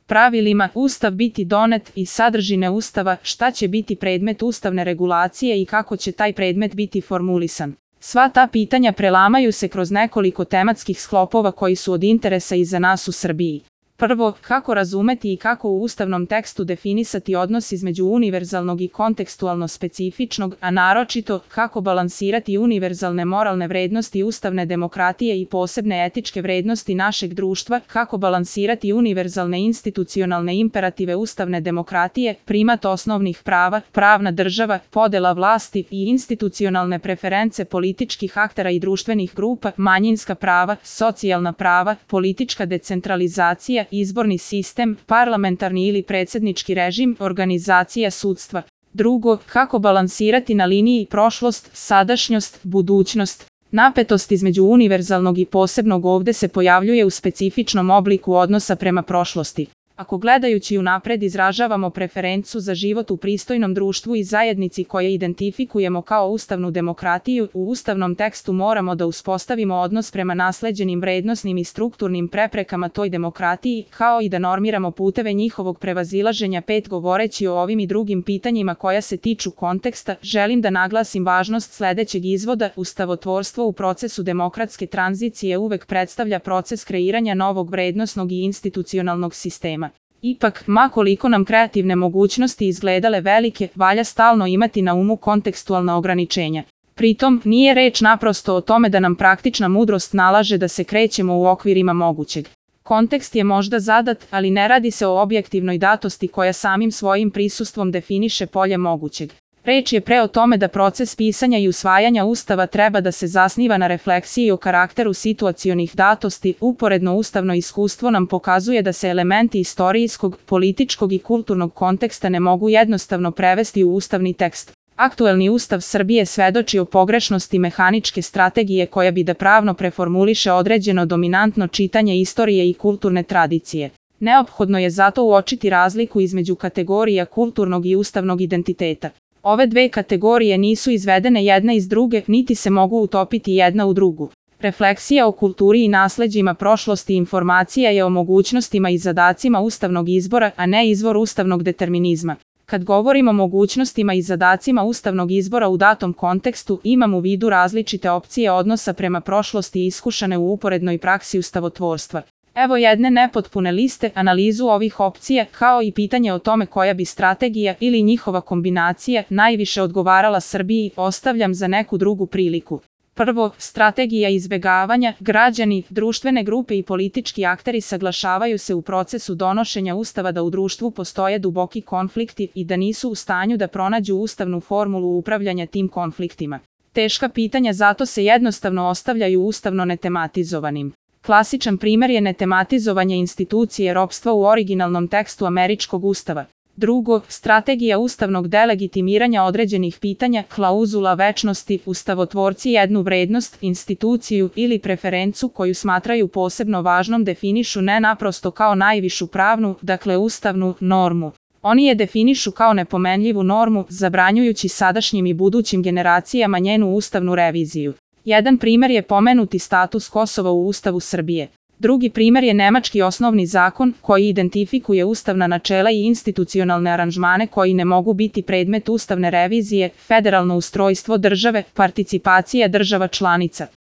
pravilima Ustav biti donet i sadržine Ustava, šta će biti predmet ustavne regulacije i kako će taj predmet biti formulisan. Sva ta pitanja prelamaju se kroz nekoliko tematskih sklopova koji su od interesa i za nas u Srbiji. Prvo, kako razumeti i kako u ustavnom tekstu definisati odnos između univerzalnog i kontekstualno specifičnog, a naročito, kako balansirati univerzalne moralne vrednosti ustavne demokratije i posebne etičke vrednosti našeg društva, kako balansirati univerzalne institucionalne imperative ustavne demokratije, primat osnovnih prava, pravna država, podela vlasti i institucionalne preference političkih aktera i društvenih grupa, manjinska prava, socijalna prava, politička decentralizacija, izborni sistem, parlamentarni ili predsjednički režim, organizacija sudstva. Drugo, kako balansirati na liniji prošlost, sadašnjost, budućnost. Napetost između univerzalnog i posebnog ovdje se pojavljuje u specifičnom obliku odnosa prema prošlosti. Ako gledajući unapred izražavamo preferencu za život u pristojnom društvu i zajednici koje identifikujemo kao ustavnu demokratiju, u ustavnom tekstu moramo da uspostavimo odnos prema nasleđenim vrednosnim i strukturnim preprekama toj demokratiji, kao i da normiramo puteve njihovog prevazilaženja. Govoreći o ovim i drugim pitanjima koja se tiču konteksta, želim da naglasim važnost sledećeg izvoda: ustavotvorstvo u procesu demokratske tranzicije uvek predstavlja proces kreiranja novog vrednosnog i institucionalnog sistema. Ipak, ma koliko nam kreativne mogućnosti izgledale velike, valja stalno imati na umu kontekstualna ograničenja. Pritom, nije reč naprosto o tome da nam praktična mudrost nalaže da se krećemo u okvirima mogućeg. Kontekst je možda zadat, ali ne radi se o objektivnoj datosti koja samim svojim prisustvom definiše polje mogućeg. Reč je pre o tome da proces pisanja i usvajanja Ustava treba da se zasniva na refleksiji o karakteru situacionih datosti. Uporedno ustavno iskustvo nam pokazuje da se elementi istorijskog, političkog i kulturnog konteksta ne mogu jednostavno prevesti u ustavni tekst. Aktuelni Ustav Srbije svedoči o pogrešnosti mehaničke strategije koja bi da pravno preformuliše određeno dominantno čitanje istorije i kulturne tradicije. Neophodno je zato uočiti razliku između kategorija kulturnog i ustavnog identiteta. Ove dve kategorije nisu izvedene jedna iz druge, niti se mogu utopiti jedna u drugu. Refleksija o kulturi i nasleđima prošlosti informacija je o mogućnostima i zadacima ustavnog izbora, a ne izvor ustavnog determinizma. Kad govorimo o mogućnostima i zadacima ustavnog izbora u datom kontekstu, imam u vidu različite opcije odnosa prema prošlosti iskušane u uporednoj praksi ustavotvorstva. Evo jedne nepotpune liste, analizu ovih opcija, kao i pitanje o tome koja bi strategija ili njihova kombinacija najviše odgovarala Srbiji, ostavljam za neku drugu priliku. Prvo, strategija izbegavanja. Građani, društvene grupe i politički akteri saglašavaju se u procesu donošenja Ustava da u društvu postoje duboki konflikti i da nisu u stanju da pronađu ustavnu formulu upravljanja tim konfliktima. Teška pitanja zato se jednostavno ostavljaju ustavno netematizovanim. Klasičan primjer je netematizovanje institucije ropstva u originalnom tekstu američkog ustava. Drugo, strategija ustavnog delegitimiranja određenih pitanja, klauzula večnosti. Ustavotvorci jednu vrednost, instituciju ili preferencu koju smatraju posebno važnom definišu ne naprosto kao najvišu pravnu, dakle ustavnu, normu. Oni je definišu kao nepomenljivu normu, zabranjujući sadašnjim i budućim generacijama njenu ustavnu reviziju. Jedan primjer je pomenuti status Kosova u Ustavu Srbije. Drugi primjer je nemački osnovni zakon koji identifikuje ustavna načela i institucionalne aranžmane koji ne mogu biti predmet ustavne revizije, federalno ustrojstvo države, participacija država članica.